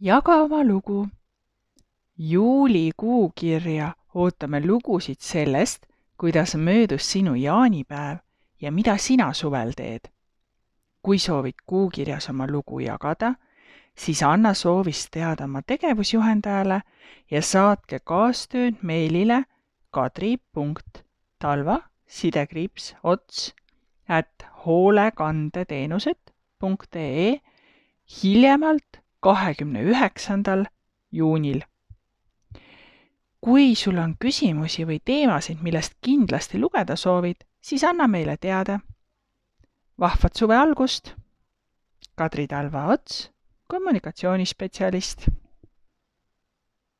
Jaga oma lugu. Juulikuukirja ootame lugusid sellest, kuidas möödus sinu jaanipäev ja mida sina suvel teed. Kui soovid kuukirjas oma lugu jagada, siis anna soovist teada oma tegevusjuhendajale ja saatke kaastööd meilile kadri.talva_ots@hoolekandeteenused.ee hiljemalt 29. juunil. Kui sul on küsimusi või teemasid, millest kindlasti lugeda soovid, siis anna meile teada. Vahvat suve algust! Kadri Talva Ots, kommunikatsioonispetsialist.